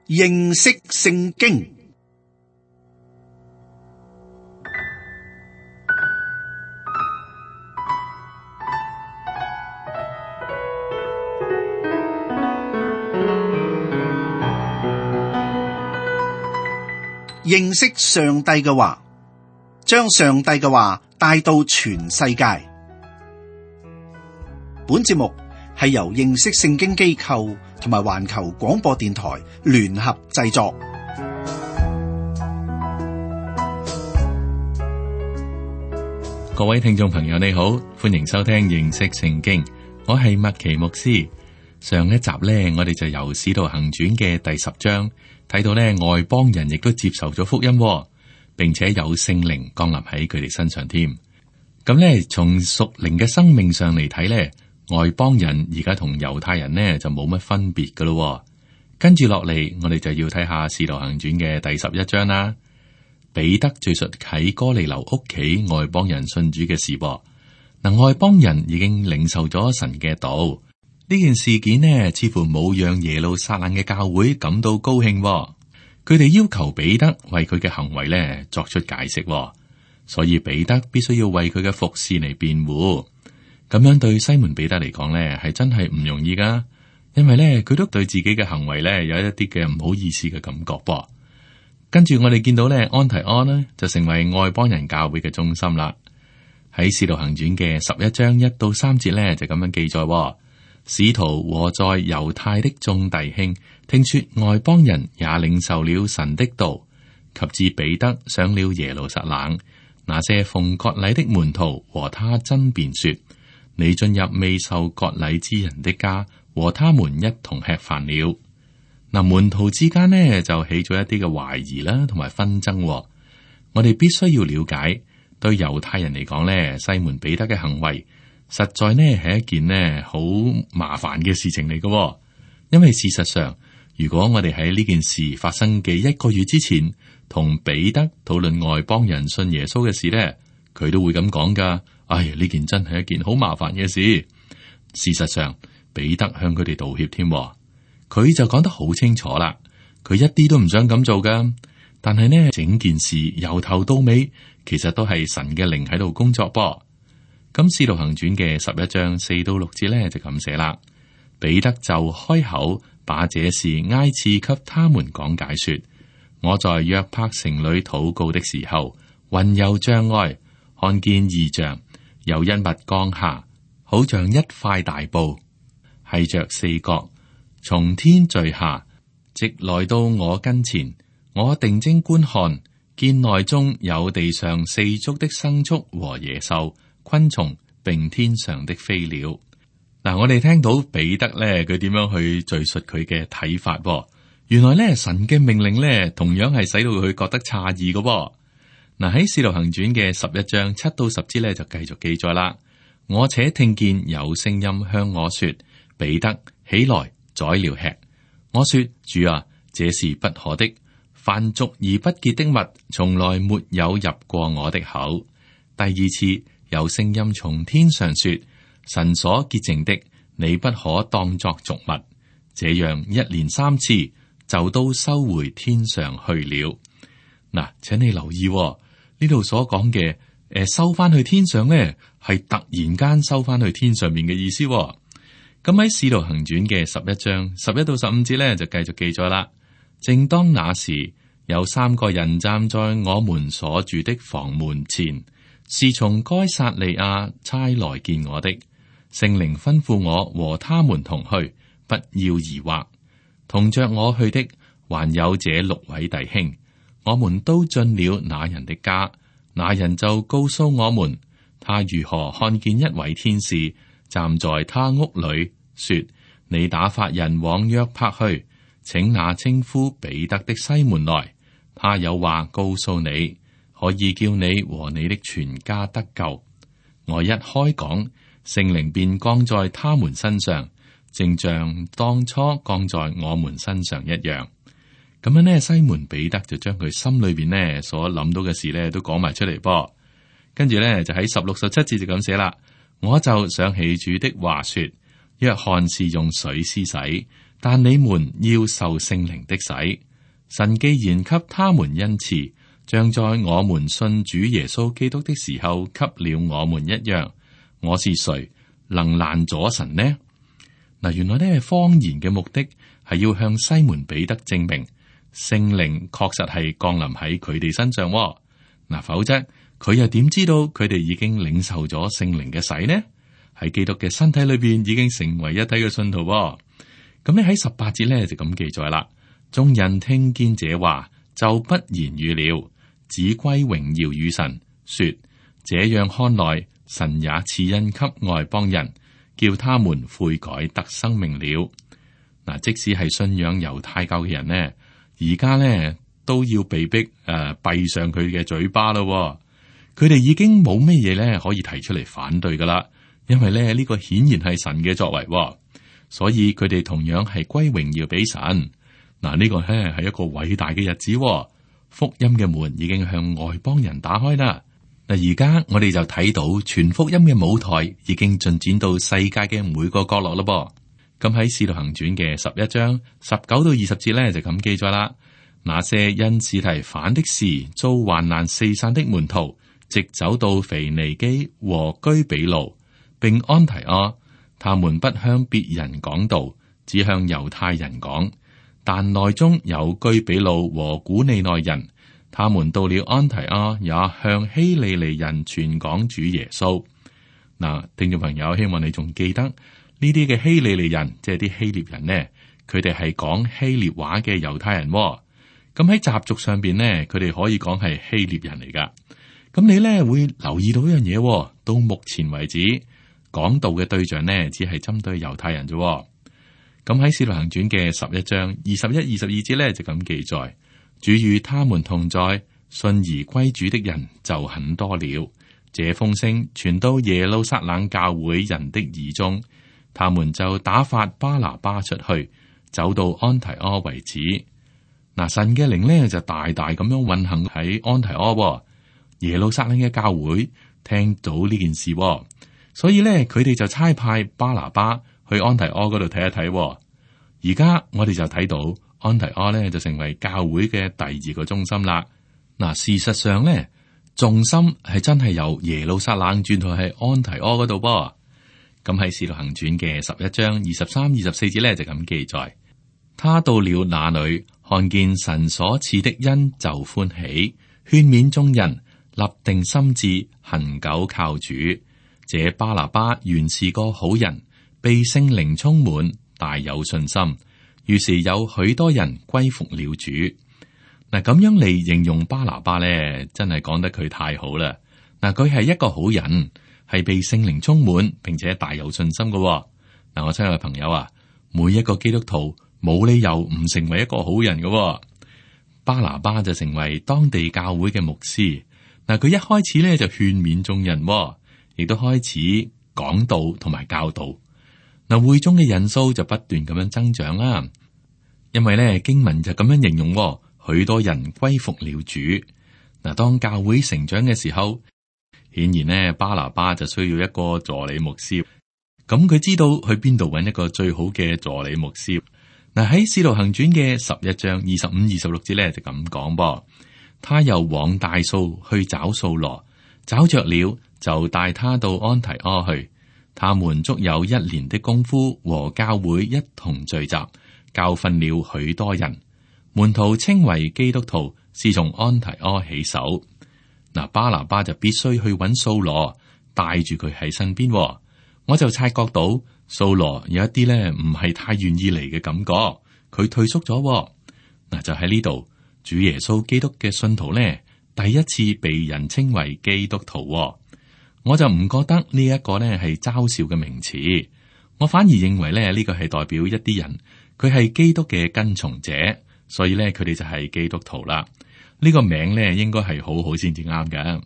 認識聖經。認識上帝嘅話，將上帝嘅話帶到全世界。本節目係由認識聖經機構同埋環球廣播電台聯合製作。各位聽眾朋友，你好，歡迎收聽認識聖經。我係麥奇牧師。上一集呢，我哋就由使徒行傳嘅第10章睇到呢，外邦人亦都接受咗福音，並且有聖靈降臨喺佢哋身上添。咁呢，從屬靈嘅生命上嚟睇呢，外邦人而家同猶太人呢就冇乜分別噶咯。跟住落嚟，我哋就要睇下使徒行傳嘅第11章啦。彼得敘述喺哥尼流屋企外邦人信主嘅事噃。嗱，外邦人已經領受咗神嘅道。呢件事件呢，似乎冇讓耶路撒冷嘅教會感到高興。佢哋要求彼得為佢嘅行為呢作出解釋，所以彼得必須要為佢嘅服侍嚟辯護。咁樣對西門彼得嚟講呢，係真係唔容易噶，因為呢，佢都對自己嘅行為呢有一啲嘅唔好意思嘅感覺噃。跟住我哋見到呢，安提阿呢就成為外邦人教會嘅中心啦。喺使徒行傳嘅11章1到3節呢，就咁樣記載。使徒和在猶太的眾弟兄聽說外邦人也領受了神的道，及至彼得上了耶路撒冷，那些奉割禮的門徒和他爭辯說：你進入未受割禮之人的家，和他們一同吃飯了。嗱，門徒之間呢就起咗一啲嘅懷疑啦，同埋紛爭。我哋必須要了解，對猶太人嚟講呢，西門彼得嘅行為實在呢係一件呢好麻煩嘅事情嚟嘅。因為事實上，如果我哋喺呢件事發生嘅1個月之前同彼得討論外邦人信耶穌嘅事呢，佢都會咁講噶。哎呀，呢件真係一件好麻煩嘅事。事實上，彼得向佢哋道歉添，佢就講得好清楚啦。佢一啲都唔想咁做噶，但係呢，整件事由頭到尾其實都係神嘅靈喺度工作噃。咁使徒行傳嘅11章4到6節咧就咁寫啦。彼得就開口把這事挨次給他們講解說：我在約帕城裏禱告的時候，魂遊象外，看見異象，有一物降下，好像一塊大布，繫着4角，從天墜下，直來到我跟前。我定睛觀看，見內中有地上4足的牲畜和野獸、昆蟲並天上的飛鳥。嗱，我哋聽到彼得咧，佢點樣去敘述佢嘅睇法？原來咧，神嘅命令咧，同樣係使到佢覺得詫異嘅。嗱，喺使徒行傳嘅11章7到10節咧，就繼續記載啦。我且聽見有聲音向我說：彼得，起來宰了吃。我說：主啊，這是不可的。凡俗而不潔的物，從來沒有入過我的口。第二次，有聲音從天上說：神所潔淨的，你不可當作俗物。這樣1連3次，就都收回天上去了。嗱，請你留意呢度所講嘅，收翻去天上呢，係突然間收翻去天上面嘅意思。咁喺使徒行傳嘅11章11到15節呢，就繼續記載啦。正當那時，有3個人站在我們所住的房門前。是從該撒利亞差來見我的，聖靈吩咐我和他們同去，不要疑惑。同着我去的還有這6位弟兄，我們都進了那人的家，那人就告訴我們，他如何看見一位天使站在他屋裏，說：你打發人往約帕去，請那稱呼彼得的西門來，他有話告訴你，可以叫你和你的全家得救。我一開講，聖靈便降在他們身上，正像當初降在我們身上一樣。咁樣呢，西門彼得就將佢心裏邊呢所諗到嘅事呢都講埋出嚟噃。跟住呢，就喺16、17節就咁寫啦。我就想起主的話說：約翰是用水施洗，但你們要受聖靈的洗。神既然給他們恩賜，像在我們信主耶穌基督的時候給了我們一樣。我是誰能攔阻神呢？嗱，原來呢方言嘅目的係要向西門彼得證明聖靈確實係降臨喺佢哋身上。嗱，否則佢又點知道佢哋已經領受咗聖靈嘅洗呢？喺基督嘅身體裏邊已經成為一體嘅信徒。咁你喺18節咧就咁記載啦。眾人聽見這話，就不言語了，只歸榮耀與神，說：這樣看來，神也賜恩給外邦人，叫他們悔改得生命了。嗱，即使係信仰猶太教嘅人呢，而家呢都要被逼閉上佢嘅嘴巴咯。佢哋已經冇咩嘢咧可以提出嚟反對噶啦，因為咧呢個顯然係神嘅作為，所以佢哋同樣係歸榮耀俾神。嗱，呢個咧係一個偉大嘅日子，福音嘅門已經向外邦人打開啦。嗱，而家我哋就睇到全福音嘅舞台已經進展到世界嘅每個角落咯。咁喺《使徒行傳》嘅11章19到20節咧就咁記載啦。那些因司提反的事遭患難四散的門徒，直走到腓尼基和居比路，並安提阿，他們不向別人講道，只向猶太人講。但內中有居比路和古利奈人，他們到了安提阿，也向希利尼人傳講主耶穌。嗱，聽眾朋友，希望你仲記得呢啲嘅希利尼人，即係啲希臘人呢，佢哋係講希臘話嘅猶太人。咁喺習俗上邊呢，佢哋可以講係希臘人嚟噶。咁你呢會留意到一樣嘢，到目前為止講道嘅對象呢，只係針對猶太人啫。咁喺《使徒行傳》嘅11章21、22節咧就咁記載：主與他們同在，信而歸主的人就很多了。這風聲傳到耶路撒冷教會人的耳中，他們就打發巴拿巴出去，走到安提阿為止。嗱，神嘅靈咧就大大咁樣運行喺安提阿。耶路撒冷嘅教會聽到呢件事，所以咧佢哋就差派巴拿巴去安提阿嗰度睇一睇。而家我哋就睇到安提阿咧就成為教會嘅第2個中心啦。嗱，事實上咧重心係真係由耶路撒冷轉到喺安提阿嗰度噃。咁喺《使徒行傳》嘅11章23、24節咧就咁記載：他到了那裏，看見神所賜的恩，就歡喜，勸勉眾人，立定心志，恒久靠主。這巴拿巴原是個好人，被聖靈充滿，大有信心，於是有許多人歸服了主。嗱，咁樣嚟形容巴拿巴咧，真係講得佢太好啦。嗱，佢係一個好人，係被聖靈充滿，並且大有信心嘅。嗱，我親愛嘅朋友啊，每一個基督徒冇理由唔成為一個好人嘅。巴拿巴就成為當地教會嘅牧師。嗱，佢一開始咧就勸勉眾人，亦都開始講道同埋教導。嗱，會中嘅人數就不斷咁樣增長啦。因為咧經文就咁樣形容，許多人歸服了主。嗱，當教會成長嘅時候，顯然呢巴拿巴就需要一個助理牧師。咁佢知道去邊度揾一個最好嘅助理牧師。嗱，喺《使徒行傳》嘅11章25、26節咧就咁講噃。他又往大數去找掃羅，找着了就帶他到安提阿去。他們足有1年的功夫，和教會一同聚集，教訓了許多人。門徒稱為基督徒，是從安提阿起手。嗱，巴拿巴就必須去揾掃羅，帶住佢喺身邊。我就察覺到掃羅有一啲咧唔係太願意嚟嘅感覺，佢退縮咗。嗱，就喺呢度，主耶穌基督嘅信徒咧，第一次被人稱為基督徒。我就唔覺得呢一個咧係嘲笑嘅名詞，我反而認為咧呢個係代表一啲人，佢係基督嘅跟從者，所以咧佢哋就係基督徒啦。呢個名咧應該係好好先至啱㗎。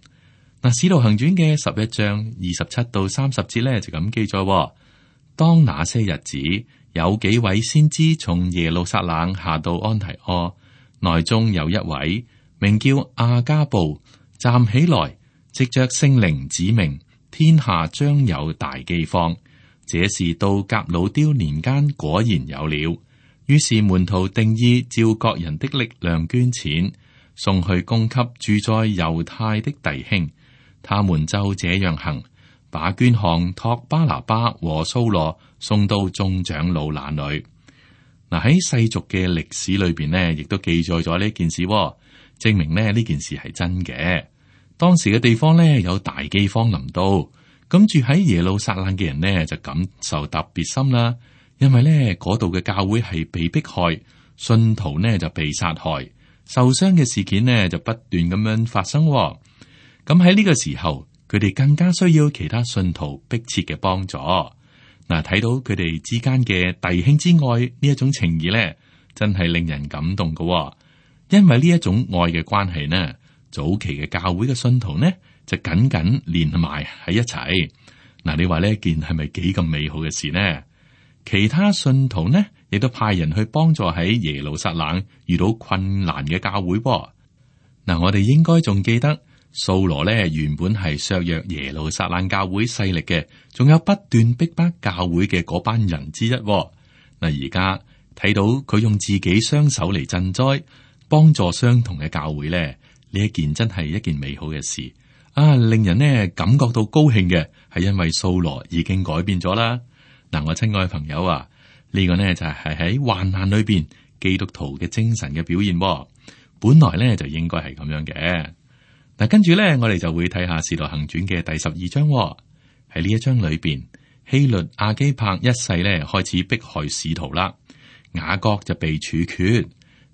嗱，《使徒行傳》嘅11章27到30節咧就咁記載：當那些日子，有幾位先知從耶路撒冷下到安提阿，內中有一位名叫亞加布，站起來，藉着聖靈指明天下將有大饑荒。這事到革老丟年間果然有了。於是門徒定意照各人的力量捐錢，送去供給住在猶太的弟兄。他們就這樣行，把捐項託巴拿巴和掃羅送到眾長老那裏。嗱，喺世俗嘅歷史裏邊呢，亦都記載咗呢件事，證明呢件事係真嘅。當時嘅地方呢，有大饑荒臨到，咁住喺耶路撒冷嘅人呢，就感受特別深啦。因為呢嗰度嘅教會係被迫害，信徒呢就被殺害，受傷嘅事件呢就不斷咁樣發生。咁喺呢個時候，佢哋更加需要其他信徒迫切嘅幫助。嗱，睇到佢哋之間嘅弟兄之愛呢一種情誼呢，真係令人感動嘅。因為呢一種愛嘅關係呢，早期嘅教會嘅信徒呢就緊緊連埋喺一齊。嗱，你話呢一件係咪幾咁美好嘅事呢？其他信徒呢，亦都派人去幫助喺耶路撒冷遇到困難嘅教會。嗱，我哋應該仲記得掃羅呢原本係削弱耶路撒冷教會勢力嘅，仲有不斷逼迫教會嘅嗰班人之一。嗱，而家睇到佢用自己雙手嚟賑災，幫助相同嘅教會呢，呢一件真係一件美好嘅事啊！令人呢感覺到高興嘅，係因為掃羅已經改變咗啦。嗱，我親愛嘅朋友啊，呢個呢就係喺患難裏邊基督徒嘅精神嘅表現。本來呢就應該係咁樣嘅。嗱，跟住呢，我哋就會睇下《使徒行傳》嘅第12章。喺呢一章裏邊，希律亞基帕一世呢開始迫害使徒啦，雅各就被處決，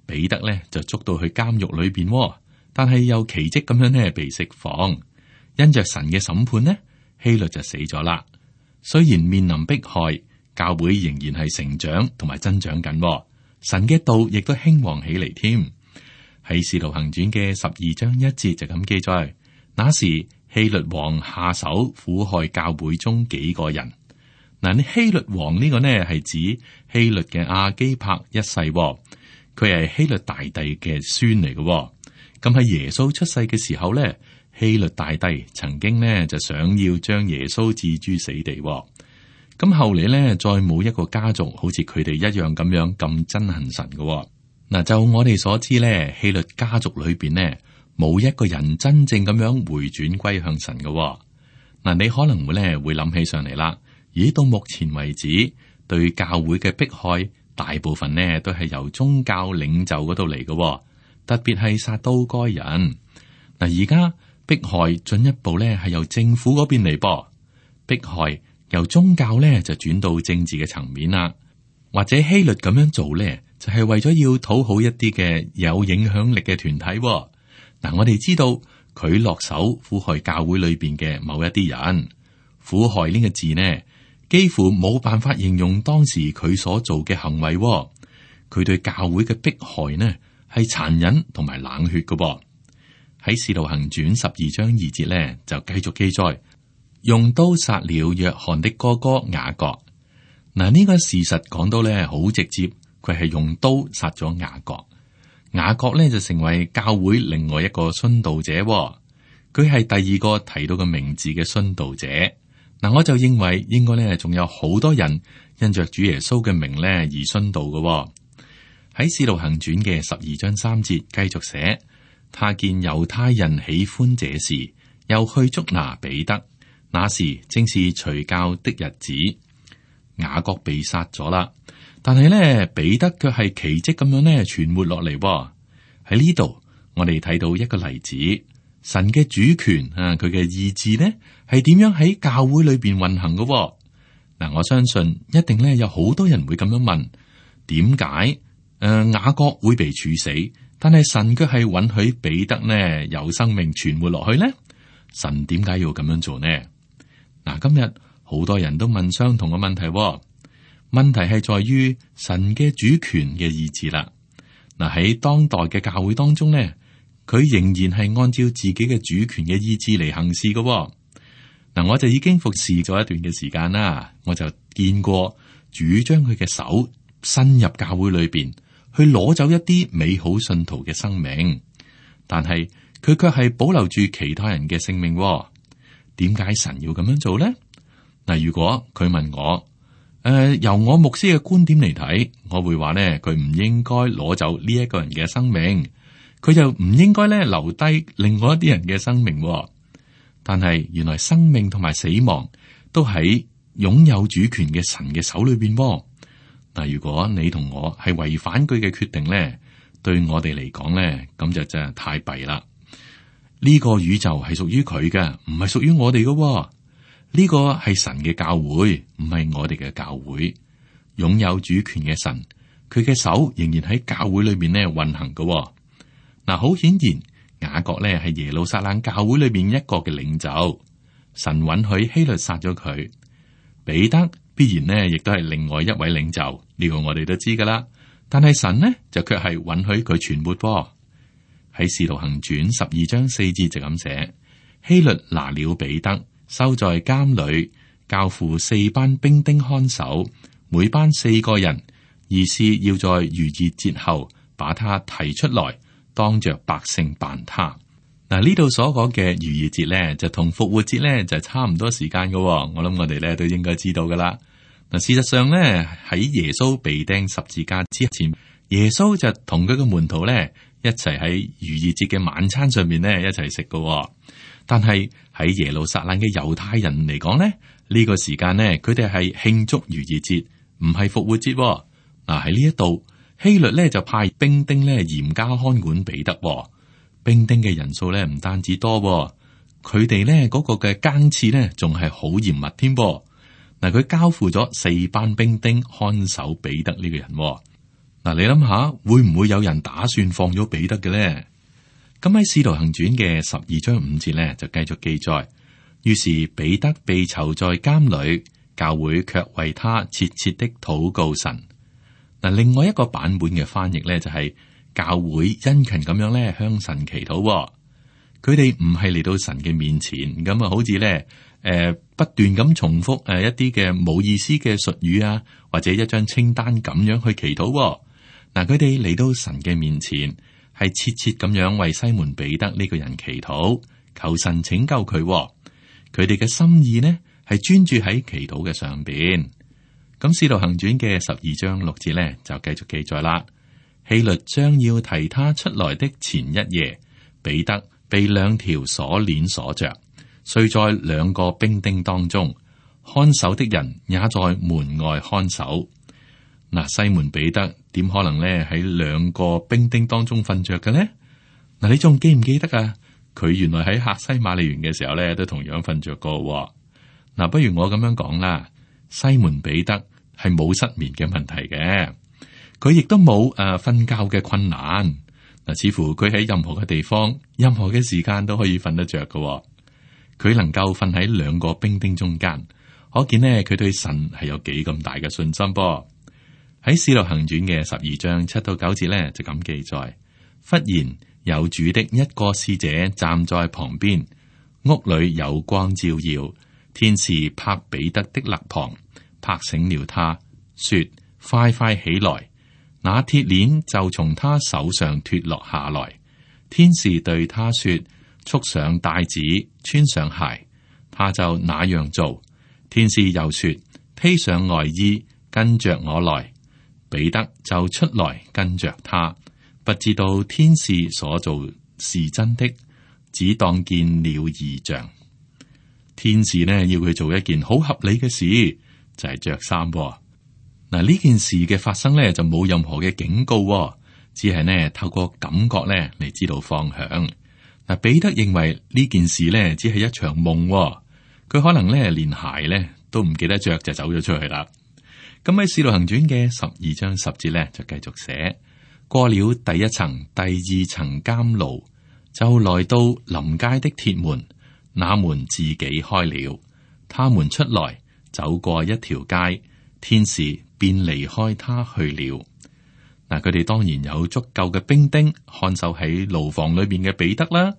彼得呢就捉到去監獄裏邊，但係又奇蹟咁樣呢被釋放。因着神嘅審判呢，希律就死咗啦。雖然面臨迫害，教會仍然係成長同埋增長緊，神嘅道亦都興旺起嚟添。喺《使徒行傳》嘅12章1節就咁記載，那時希律王下手苦害教會中幾個人。嗱，希律王呢個呢係指希律嘅亞基帕一世，佢係希律大帝嘅孫嚟嘅。咁喺耶穌出世嘅時候呢，希律大帝曾經呢就想要將耶穌置諸死地。咁後嚟呢，再冇一個家族好似佢哋一樣咁憎恨神嘅。嗱，就我哋所知呢，希律家族裏邊呢，冇一個人真正咁樣回轉歸向神嘅。嗱，你可能會諗起上嚟啦。咦，到目前為止，對教會嘅迫害，大部分呢都係由宗教領袖嗰度嚟嘅，特別係撒都該人。嗱，而家迫害進一步呢係由政府嗰邊嚟噃，迫害由宗教呢就轉到政治嘅層面啦。或者希律咁樣做呢，就係為咗要討好一啲嘅有影響力嘅團體。嗱，我哋知道佢落手苦害教會裏邊嘅某一啲人，苦害呢個字呢，幾乎冇辦法形容當時佢所做嘅行為。佢對教會嘅迫害呢，係殘忍同埋冷血嘅。喺《使徒行傳》12章2節呢，就繼續記載，用刀殺了約翰的哥哥雅各。嗱，呢個事實講到咧好直接，佢係用刀殺咗雅各。雅各咧就成為教會另外一個殉道者，佢係第二個提到個名字嘅殉道者。嗱，我就認為應該咧仲有好多人因着主耶穌嘅名咧而殉道嘅。喺《使徒行傳》嘅12章3節繼續寫，他見猶太人喜歡這事，又去捉拿彼得，那時正是除酵的日子。雅各被殺咗啦，但係咧彼得卻係奇蹟咁樣咧存活落嚟。喺呢度我哋睇到一個例子，神嘅主權啊，佢嘅意志呢係點樣喺教會裏邊運行嘅。嗱，我相信一定咧有好多人會咁樣問，點解雅各會被處死，但係神卻係允許彼得呢有生命存活落去呢？神點解要咁樣做呢？嗱，今日好多人都問相同嘅問題，問題係在於神嘅主權嘅意志啦。嗱，喺當代嘅教會當中呢，佢仍然係按照自己嘅主權嘅意志嚟行事嘅。嗱，我就已經服侍咗一段嘅時間啦，我就見過主將佢嘅手伸入教會裏邊，去攞走一啲美好信徒嘅生命，但係佢卻係保留住其他人嘅性命。點解神要咁樣做呢？嗱，如果佢問我，由我牧師嘅觀點嚟睇，我會話呢，佢唔應該攞走呢一個人嘅生命，佢就唔應該咧留低另外一啲人嘅生命。但係原來生命同埋死亡都喺擁有主權嘅神嘅手裏邊。嗱，如果你同我係違反佢嘅決定咧，對我哋嚟講咧，咁就真係太弊啦。呢個宇宙係屬於佢嘅，唔係屬於我哋嘅。呢個係神嘅教會，唔係我哋嘅教會。擁有主權嘅神，佢嘅手仍然喺教會裏邊咧運行嘅。嗱，好顯然，雅各咧係耶路撒冷教會裏邊一個嘅領袖，神允許希律殺咗佢。彼得必然呢亦都係另外一位領袖，呢個我哋都知噶啦。但係神呢就卻係允許佢存活。喺使徒行傳12章4節就咁寫：希律拿了彼得，收在監裏，交付4班兵丁看守，每班4個人，意思要在逾越節後把他提出來，當着百姓辦他。嗱，呢度所講嘅逾越節咧，就同復活節咧就差唔多時間嘅。我諗我哋咧都應該知道噶啦。嗱，事實上咧喺耶穌被釘十字架之前，耶穌就同佢嘅門徒咧一齊喺逾越節嘅晚餐上面咧一齊食嘅。但係喺耶路撒冷嘅猶太人嚟講咧，呢個時間咧佢哋係慶祝逾越節，唔係復活節。嗱，喺呢一度，希律咧就派兵丁咧嚴加看管彼得。兵丁嘅人數咧唔單止多，佢哋咧嗰個嘅更次咧仲係好嚴密添。嗱，佢交付咗4班兵丁看守彼得呢個人。嗱，你諗下，會唔會有人打算放咗彼得嘅咧？咁喺《使徒行傳》嘅12章5節咧就繼續記載，於是彼得被囚在監裏，教會卻為他切切的禱告神。嗱，另外一個版本嘅翻譯咧就係教會殷勤咁樣咧向神祈禱。佢哋唔係嚟到神嘅面前咁啊，好似咧不斷咁重複一啲嘅冇意思嘅術語啊，或者一張清單咁樣去祈禱。嗱，佢哋嚟到神嘅面前，係切切咁樣為西門彼得呢個人祈禱，求神拯救佢。佢哋嘅心意呢係專注喺祈禱嘅上邊。咁《使徒行傳》嘅12章6節咧就繼續記載啦。希律將要提他出來的前一夜，彼得被2條鎖鏈鎖着，睡在2個兵丁當中，看守的人也在門外看守。嗱，西門彼得點可能咧喺2個兵丁當中瞓着嘅呢？嗱，你仲記唔記得啊？佢原來喺客西馬尼園嘅時候咧，都同樣瞓着過。嗱，不如我咁樣講啦，西門彼得係冇失眠嘅問題嘅，佢亦都冇瞓覺嘅困難。嗱，似乎佢喺任何嘅地方、任何嘅時間都可以瞓得着嘅。佢能夠瞓喺2個兵丁中間，可見呢，佢對神係有幾咁大嘅信心噃。喺《使徒行傳》嘅12章7到9節咧，就咁記載：忽然有主的一個使者站在旁邊，屋裏有光照耀，天使拍彼得的肋旁，拍醒了他，說：快快起來！那鐵鏈就從他手上脫落下來。天使對他說：束上帶子，穿上鞋。他就那樣做。天使又說：披上外衣，跟着我來。彼得就出來跟着他，不知道天使所做是真的，只當見了異象。天使呢要佢做一件好合理嘅事，就係着衫。嗱，呢件事嘅發生呢就冇任何嘅警告，只係呢透過感覺呢嚟知道方向。嗱，彼得認為呢件事呢只係一場夢，佢可能呢連鞋呢都唔記得着就走咗出去啦。咁喺《使徒行傳》嘅12章10節咧，就繼續寫：過了第一層、第2層監牢，就來到臨街的鐵門，那門自己開了，他們出來，走過一條街，天使便離開他去了。嗱，佢哋當然有足夠嘅兵丁看守喺牢房裏邊嘅彼得啦。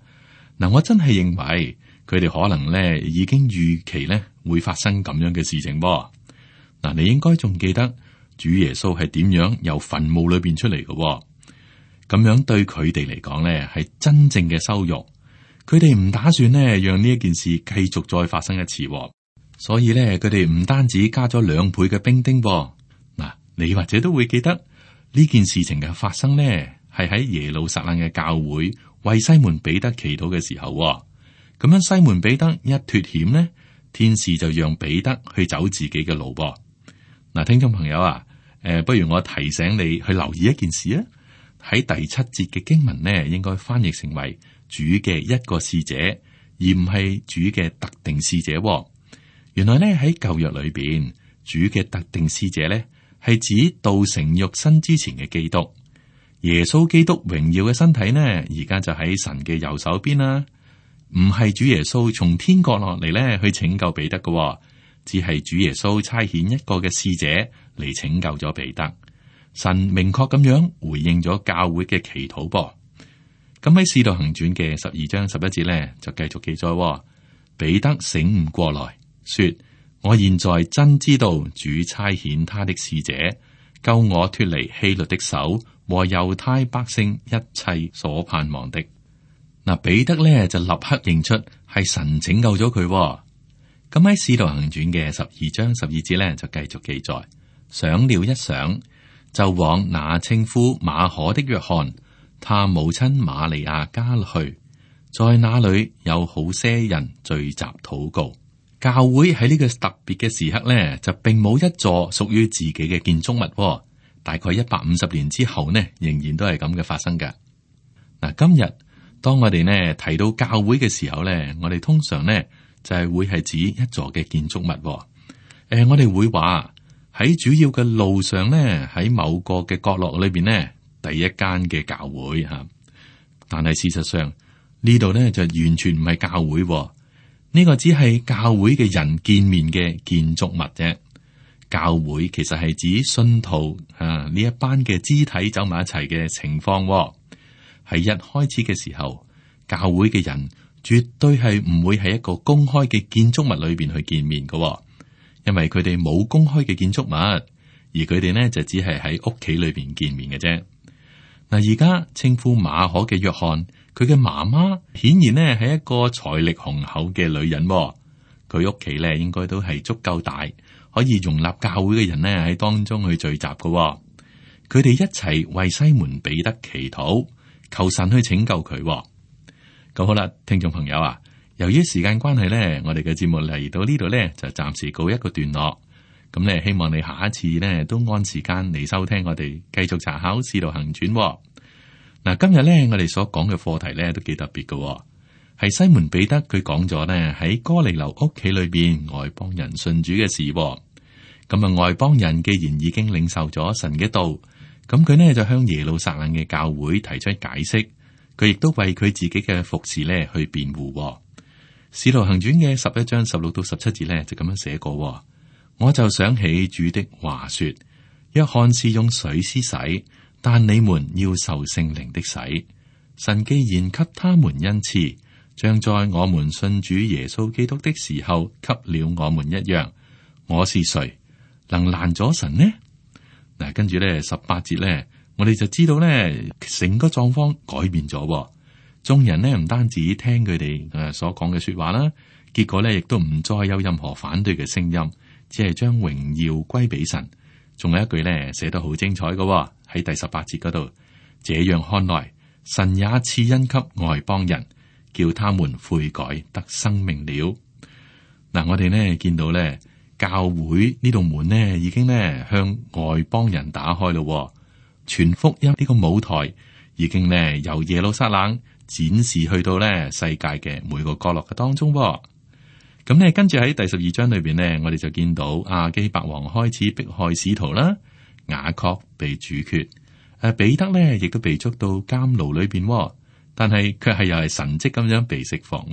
嗱，我真係認為佢哋可能咧已經預期咧會發生咁樣嘅事情噃。嗱，你應該仲記得主耶穌係點樣由墳墓裏邊出嚟嘅？咁樣對佢哋嚟講咧，係真正嘅羞辱。佢哋唔打算咧讓呢一件事繼續再發生一次。所以咧佢哋唔單止加咗2倍嘅兵丁噃。嗱，你或者都會記得呢件事情嘅發生呢，係喺耶路撒冷嘅教會為西門彼得祈禱嘅時候。咁樣西門彼得一脫險呢，天使就讓彼得去走自己嘅路噃。嗱，聽眾朋友啊，不如我提醒你去留意一件事啊。喺第7節嘅經文呢，應該翻譯成為主嘅一個使者，而唔係主嘅特定使者。原來呢，喺舊約裏邊，主嘅特定使者呢，係指道成肉身之前嘅基督。耶穌基督榮耀嘅身體呢，而家就喺神嘅右手邊啦。唔係主耶穌從天國落嚟咧去拯救彼得嘅，只係主耶穌差遣一個嘅使者嚟拯救咗彼得。神明確咁樣回應咗教會嘅祈禱噃。咁喺《使徒行傳》嘅12章11節咧就繼續記載，彼得醒悟過來，說：我現在真知道主差遣他的使者救我脫離希律的手和猶太百姓一切所盼望的。嗱，彼得咧就立刻認出係神拯救咗佢。咁喺《使徒行傳》嘅12章12節咧就繼續記載，想了一想，就往那稱呼馬可的約翰，他母親瑪利亞家去，在那裏有好些人聚集禱告。教會喺呢個特別嘅時刻咧，就並冇一座屬於自己嘅建築物。大概150年之後呢，仍然都係咁嘅發生㗎。嗱，今日當我哋呢提到教會嘅時候咧，我哋通常呢就係會係指一座嘅建築物。我哋會話喺主要嘅路上呢，喺某個嘅角落裏邊呢，第一間嘅教會吓。但係事實上呢度呢就完全唔係教會，呢個只係教會嘅人見面嘅建築物啫。教會其實係指信徒呢一班嘅肢體走埋一齊嘅情況。喺一開始嘅時候，教會嘅人絕對係唔會喺一個公開嘅建築物裏邊去見面嘅，因為佢哋冇公開嘅建築物，而佢哋呢就只係喺屋企裏邊見面嘅啫。嗱，而家稱呼馬可嘅約翰，佢嘅媽媽顯然呢係一個財力雄厚嘅女人，佢屋企咧應該都係足夠大，可以容納教會嘅人呢喺當中去聚集嘅。佢哋一齊為西門彼得祈禱，求神去拯救佢。咁好啦，聽眾朋友啊，由於時間關係呢，我哋嘅節目嚟到呢度呢，就暫時告一個段落。咁呢，希望你下一次呢都按時間嚟收聽我哋繼續查考《使徒行傳》。嗱，今日呢，我哋所講嘅課題呢都幾特別嘅，係西門彼得佢講咗呢喺哥尼流屋企裏邊外邦人信主嘅事。咁啊，外邦人既然已經領受咗神嘅道，咁佢呢就向耶路撒冷嘅教會提出解釋，佢亦都為佢自己嘅服侍呢去辯護。使徒行傳嘅11章16到17節呢就咁樣寫過，我就想起主的話說，約翰是用水施洗，但你們要受聖靈的洗。神既然給他們恩賜，像在我們信主耶穌基督的時候給了我們一樣，我是誰能攔阻神呢？嗱，跟住咧18節咧，我哋就知道咧，成個狀況改變咗。眾人呢唔單止聽佢哋所講嘅說話啦，結果咧亦都唔再有任何反對嘅聲音，只係將榮耀歸俾神。仲有一句咧寫得好精彩嘅，喺第18節嗰度，這樣看來，神也賜恩給外邦人，叫他們悔改得生命了。嗱，我哋呢見到咧。教會呢道門呢，已經呢向外邦人打開咯。傳福音呢個舞台已經呢由耶路撒冷展示去到呢世界嘅每個角落嘅當中。咁呢跟住喺第12章裏邊呢，我哋就見到亞基伯王開始迫害使徒啦，雅各被處決，彼得呢亦都被捉到監牢裏邊，但係卻係又係神蹟咁樣被釋放。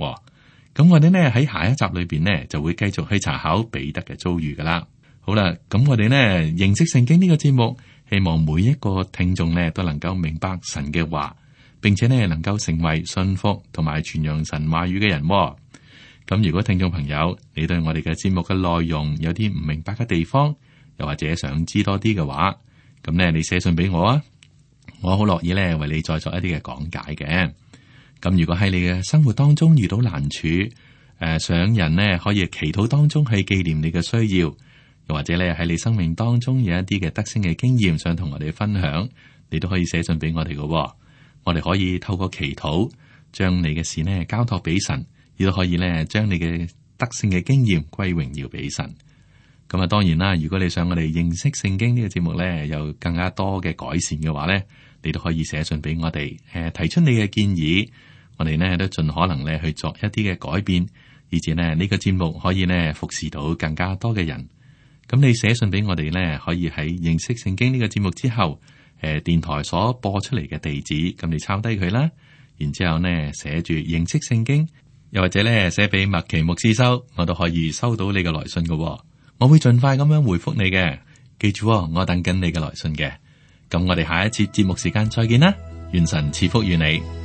咁我哋呢喺下一集裏邊呢就會繼續去查考彼得嘅遭遇噶啦。好啦，咁我哋呢認識聖經呢個節目，希望每一個聽眾呢都能夠明白神嘅話，並且呢能夠成為信服同埋傳揚神話語嘅人。咁如果聽眾朋友你對我哋嘅節目嘅內容有啲唔明白嘅地方，又或者想知多啲嘅話，咁呢你寫信俾我啊，我好樂意呢為你再作一啲嘅講解嘅。咁如果喺你嘅生活當中遇到難處，想人呢可以祈禱當中去紀念你嘅需要，又或者咧喺你生命當中有一啲嘅得勝嘅經驗想同我哋分享，你都可以寫信俾我哋嘅。我哋可以透過祈禱將你嘅事呢交託俾神，亦都可以咧將你嘅得勝嘅經驗歸榮耀俾神。咁啊，當然啦，如果你想我哋認識聖經呢個節目咧有更加多嘅改善嘅話咧，你都可以寫信俾我哋，提出你嘅建議，我哋呢都盡可能咧去作一啲嘅改變，以至呢個節目可以呢服侍到更加多嘅人。咁你寫信俾我哋呢，可以喺認識聖經呢個節目之後，電台所播出嚟嘅地址，咁你抄低佢啦，然之後呢寫住認識聖經，又或者呢寫俾麥奇牧師收，我都可以收到你嘅來信嘅。我會盡快咁樣回覆你嘅，記住我等緊你嘅來信嘅。咁我哋下一次節目時間再見啦，願神賜福於你。